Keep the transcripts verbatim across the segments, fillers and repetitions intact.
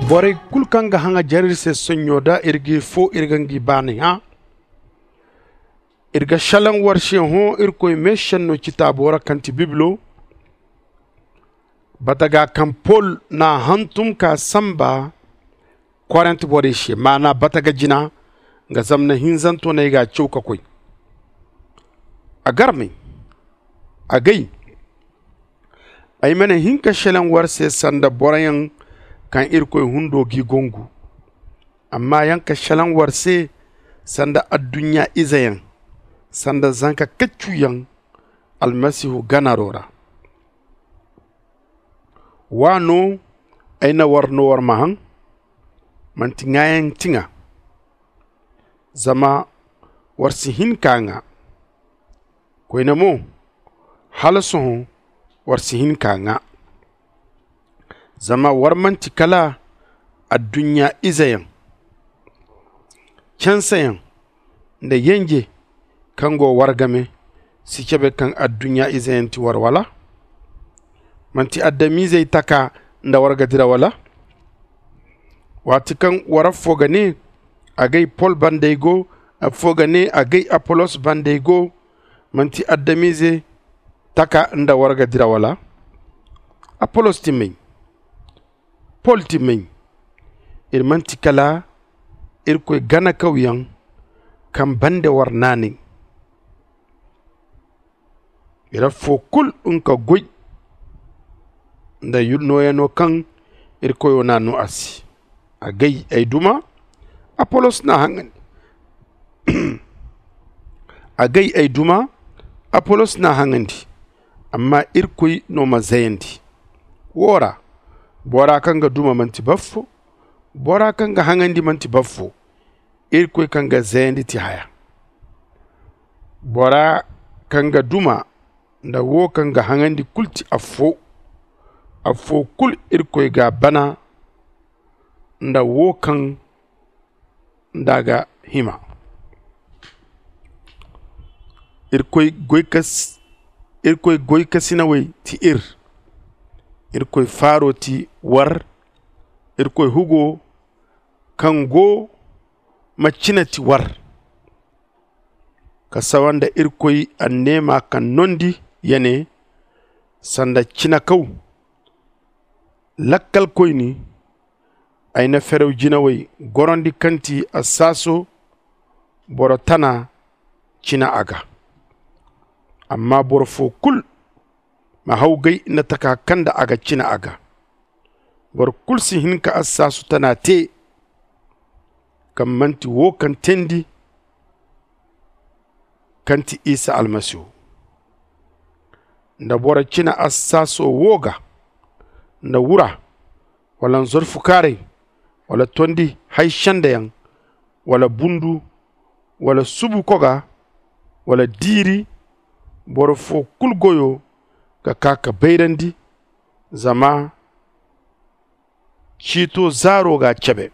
Borey kulu kaŋ ga haŋajer iri se sonɲo da iri g'i foo iri ga ngi baaney hã. Iri ga šelaŋ war se hõ irkoy meesenno citaabo ra kaŋ ti bibilo. Bataga kaŋ pol n'a hantum ka sanba korent borey se maana bataga jina. Nga zamna hinzanto no ay g'a caw ka koy. A garmey, agay, ay mana hin ka šelaŋ war se sanda boroyaŋ kaŋ irkoy hundo g'i gongu. Amma yaŋ ka šelaŋ war se sanda adduɲɲa izeyaŋ, sanda zanka kaccuyaŋ almasihu ganaro ra. Wa no ay na war no war ma haŋ? Manti ŋaayaŋ tiŋa. Zama war si hin k'a ŋaa. Koyne mo, hala sohõ war si hin k'a ŋaa. Zama war manti kala adduɲɲa izeyaŋ, canseyaŋ nda yenje kaŋ go war game. Si cabe kaŋ adduɲɲa izeyaŋ ti war wala? Manti adamizey taka nda war ga dira wala? Waati kaŋ war affoo ga nee, agay pol banda ay go, affoo ga nee agay apolos banda ay go. Manti adamize taka nda war ga dira wala? Apolos ti may? Pol ti may? Iri manti kala irkoy ganakawyaŋ kaŋ bande war naanay. Iri affoo kulu nga goy nda nooyano kaŋ iri koyo n'a noo a se. Agay ay duma, apolos n'a haŋandi. Agay ay duma, apolos n'a haŋandi. Amma irkoy no ma zayandi. Woo ra, bora kaŋ ga duma manti baffo, bora kaŋ ga haŋandi manti baffo. Irkoy kaŋ ga zayandi ti haya. Bora kaŋ ga duma nda woo kaŋ ga haŋandi kulu ti affoo. Affoo kulu irkoy g'a bana nda woo kaŋ nda a ga hima. Irkoy goykas irkoy goykasinawey ti ir. Irkoy faaro ti war. Irkoy hugo kaŋ go ma cina ti war. Ka sawa nda irkoy anneema kaŋ nondi ya ne, sanda cinakaw lakkalkoyni. Ay na ferew jinawey gorandi kaŋ ti assaaso boro tana cina a ga. Amma boro foo kulu ma hawgay nda taka kaŋ nda a ga cina a ga. Boro kulu si hin ka assaasu tana tee kaŋ manti woo kaŋ teendi kaŋ ti isa almasihu. Nda boro cina assaaso woo ga nda wura wala nzorfukaaray wala tondi hay sendeyaŋ wala bundu wala subu koga wala diiri, boro foo kulu goyo ga kaa ka bayrandi. Zama ciito zaaro g'a cebe.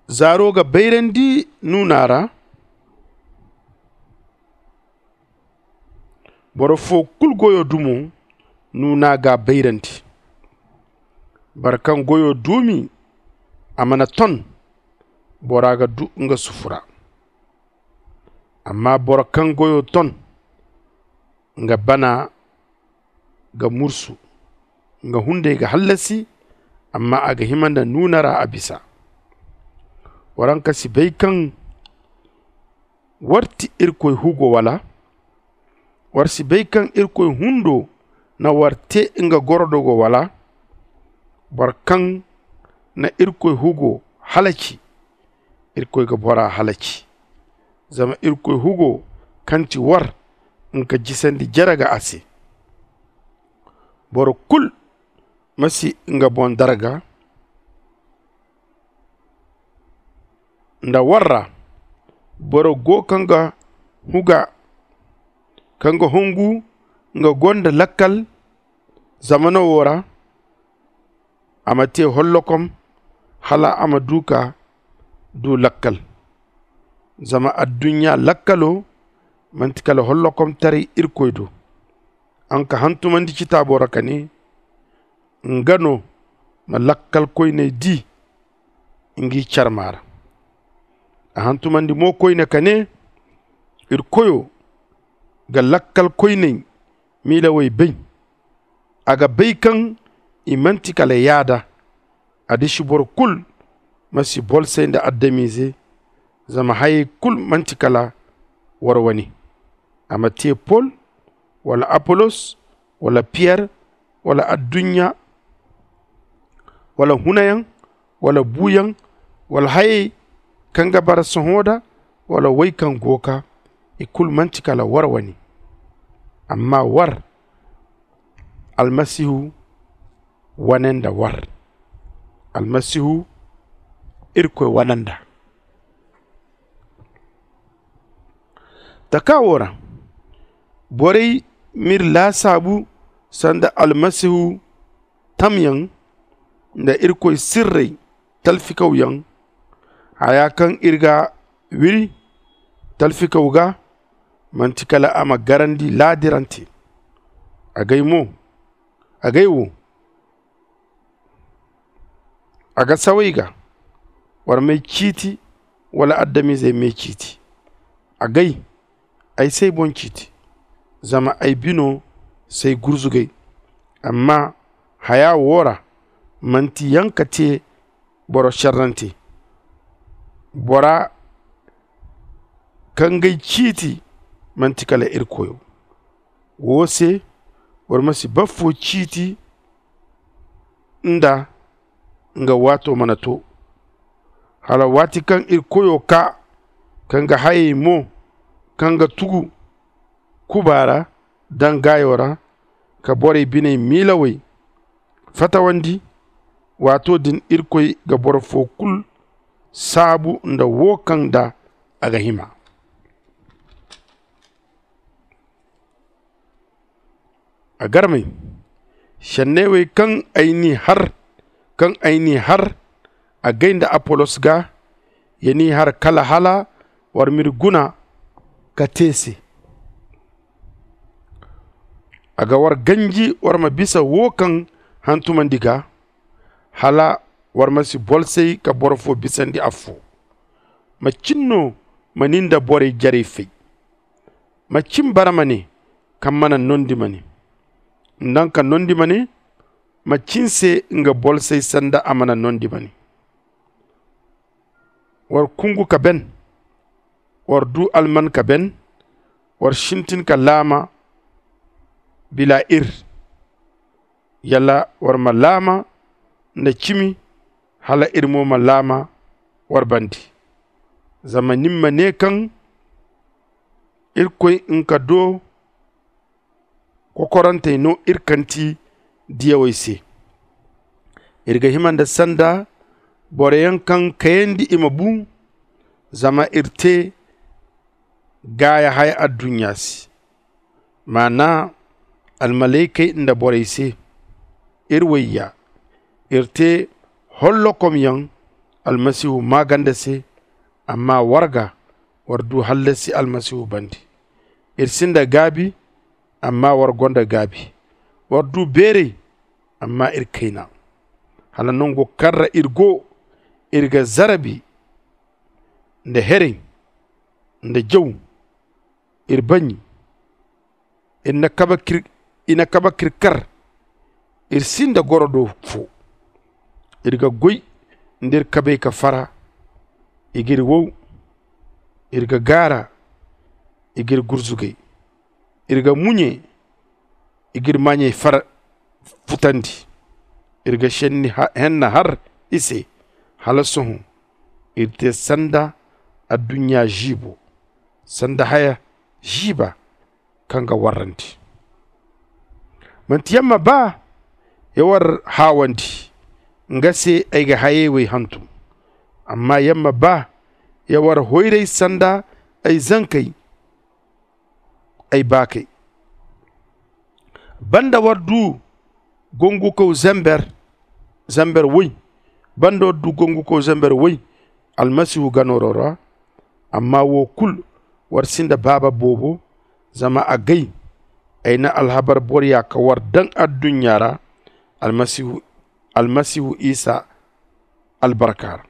Zaaro ga bayrandi nuuna ra. Boro foo kulu goyo dumo nuuna g'a bayrandi. Boro kaŋ goyo duumi a mana ton, bora ga duu nga sufu ra. Amma boro kaŋ goyo ton, nga bana ga mursu. Nga hunday ga hallasi. Amma a ga hima nda nuuna ra a bisa. Waranka si bay kaŋ war ti irkoy hugo wala? War si bay kaŋ irkoy hundo na war tee nga gorodogo wala? Boro kaŋ na irkoy hugo halaci, irkoy ga bora halaci. Zama irkoy hugo kaŋ ti war nga jisandi jere ga a se. Boro kulu ma si nga boŋ darga. Nda war ra boro go kaŋ ga huga kaŋ ga hongu nga gonda lakkal zamano wo ra. A ma te hollokom hala a ma du ka du lakkal. Zama adduɲɲa lakkalo manti kala hollokomtaray irkoy do. An ka hantumandi citaabo ra ka ne, nga no ma lakkalkoyney di ngi carma ra. A hantumandi mo koyne ka ne, iri koyo ga lakkalkoyney miilawey bay. A ga bay kaŋ i manti kala yaada. A disi boro kulu ma si bolsay nda adamize. Zama hayey kulu manti kala war wane. A ma te pol, wala apolos, wala piyer, wala adduɲɲa, wala hunayaŋ, wala buuyaŋ, wala hayey kaŋ ga bara sohõ da, wala wey kaŋ go ka, i kulu manti kala war wane. Amma war, almasihu wane nda war. Almasihu irkoy wane nda. Taka wo ra, borey m'iri laasaabu sanda almasihu tamyaŋ nda irkoy sirrey talfikawyaŋ. Haya kaŋ iri ga wiri talfikaw ga, manti kala a ma garandi laadirante. Agay mo, agay wo, a ga saway ga war may ciiti, wala adamizey may ciiti. Agay, ay s'ay boŋ ciiti, zama ay bino s'ay gurzugay. Amma haya wo ra, manti yaŋ ka te boro šerrante. Bora kaŋ g'ay ciiti manti kala irkoyo. Wo se, war ma si baffo ciiti nda nga waato mana to, hala waati kaŋ iri koyo kaa, kaŋ ga hayey mo kaŋ ga tugu kuba ra daŋ gaayo ra, ka borey biney miilawey fatawandi. Waato din irkoy ga boro fo kulu saabu nda wo kaŋ nda a ga hima. A garmey, šenney wey kaŋ ay n'i har kaŋ ay n'i har, agay nda apolos ga, ya n'i har kala hala war m'iri guna ka te se. A ga war ganji war ma bisa wo kaŋ hantumandi ga, hala war ma si bolsay ka boro fo bisandi affo. Macin no ma ni nda borey jarey fay? Macin bara ma ne kaŋ mana nondi ma ne? Nda nga ka nondi ma ne? Macin se nga bolsay sanda a mana nondi ma ne? War kungu ka ben, war du alman ka ben, war sintin ka laama bila ir. Yala war ma laama nda cimi, hala ir mo ma laama war bandi. Zama nin ma ne kaŋ irkoy nka do kokorantey no ir kanti diyawey se. Ir ga hima nda sanda boroyaŋ kaŋ kayandi i ma bu, zama ir te gaaya haya adduɲɲa se. Maana almalaykey nda borey se. Ir wayya, ir te hollokomyaŋ almasihu maaganda se. Amma war ga war du hallasi almasihu bande. Ir sinda gaabi, amma war gonda gaabi. War du beeray, amma ir kayna. Hala nango kaŋ ra ir go, ir ga zarabi nda heray nda jaw, ir baɲi, ir na kabe k'ir kar. Ir sinda gorodo fo. Ir ga goy nda ir kabey ka fara. I g'ir wow. Ir ga gaara. I g'ir gurzugay. Ir ga muɲe. I g'ir maaɲey fara futandi. Ir ga šenni henna har i se. Hala sohõ ir te sanda adduɲɲa žiibo, sanda haya žiiba kaŋ ga warrandi. Manti yamma ba ya war haawandi, nga se ay ga hayey wey hantum. Amma yamma ba ya war hoyray sanda ay zankey, ay baakey. Banda war du gongukaw zamber zamber woy banda war du gongukaw zamber woy almasihu ganooro ra. Amma wo kulu war sinda baaba boobo. Zama a gay ay na alhabar boroya ka war daŋ adduɲɲa ra. almasihu isa albarka ra.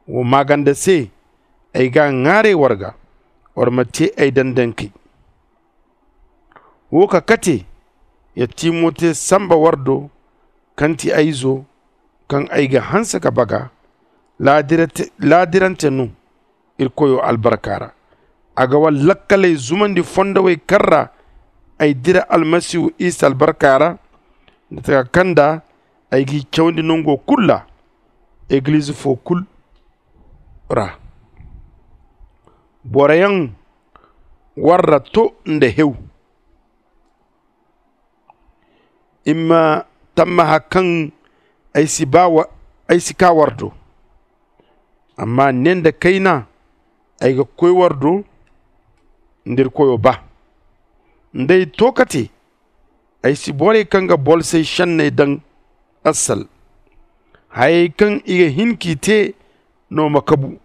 Wo maaganda se ay ga a ŋwaaray war ga, war ma te ay dandankey. Wo ka kate ya timote samba war do, kaŋ ti ay izo, kaŋ ay ga hanse ka baga. Laadirante no irkoyo albarka ra. A ga war lakkaley zumandi fondowey kaŋ ra ay dira almasihu isa albarka ra, nda taka kaŋ nda ay g'i cawandi nango kulu ra, egiliz fo kulu ra. Boroyaŋ warra to nda hew. I ma tammaha kaŋ ay si kaa war do. Amma ne nda kayna ay ga koy war do nda irkoyo ba. Nd'ay to kate, ay si borey kaŋ ga bolsey šenney daŋ assal. Hayey kaŋ i ga hin k'i te no ma kabu.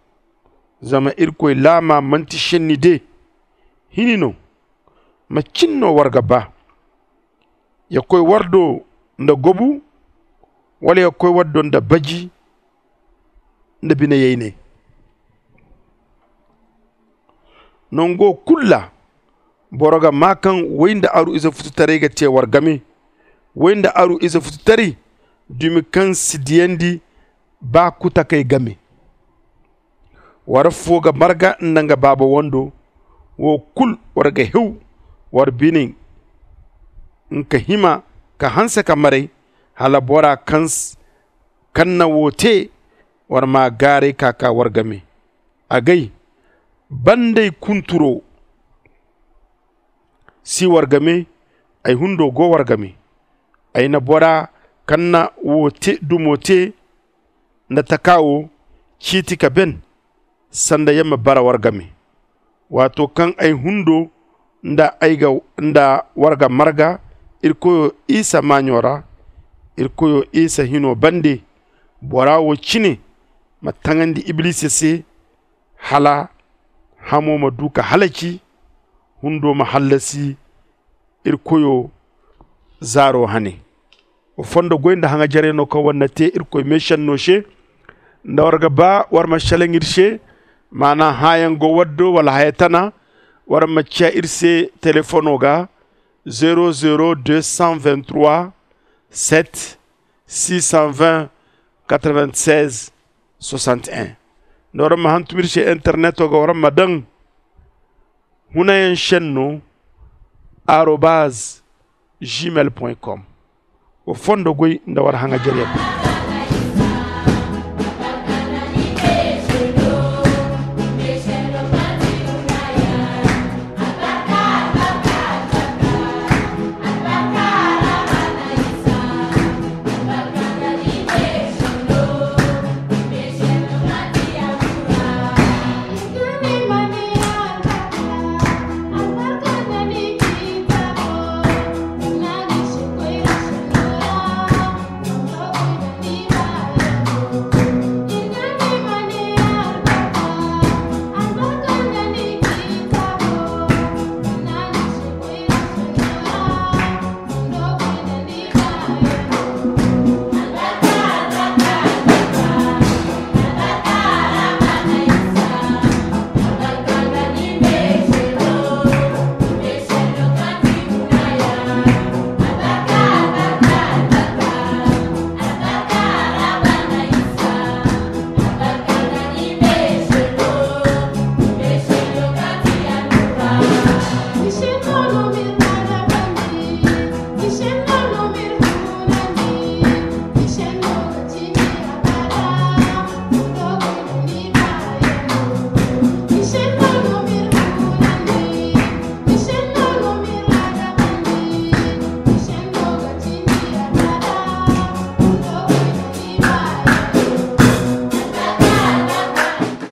Zama irkoy laama manti šenni de hini no. Macin no war ga ba? Ya koy war do nda gobu, wala ya koy war do nda baji nda bine-yaynay? Nango kulu ra boro ga maa kaŋ way nda aru ize fututaray ga te war game. Way nda aru ize fututaray dumi kaŋ si diyandi ba kutakey game. War affo ga marga nda nga baaba wando. Wo kulu war ga hew war bine nka hima ka hanse ka maray, hala bora kaŋ na wo te war ma gaaray ka kaa war game. Agay, banday kunturo si war game. Ay hundo go war game. Ay na bora kaŋ na wo te dumo te nda taka wo ciiti ka ben sanda ya ma bara war game. Waato kaŋ ay hundo nda war ga marga irkoyo isa maaɲo ra, irkoyo isa hino bande, bora wo cine ma taŋandi ibilisa se, hala hamo ma du ka halaci, hundo ma hallasi irkoyo zaaro hane. Wa fondo goy nda haŋajaray no kaŋ war na te irkoy meešenno se. Nda war ga ba war ma šelaŋ ir se, maana hãayaŋ go war do wala haya tana, war ma ciya ir se telefono ga, zero zero deux cent vingt-trois sept six cent vingt quatre-vingt-seize soixante-un. Nda war ma hantum ir se interneto ga, war ma daŋ hunayaŋ šenno arobaz gmail point com. Wa fondo goy nda war haŋajaryaŋ.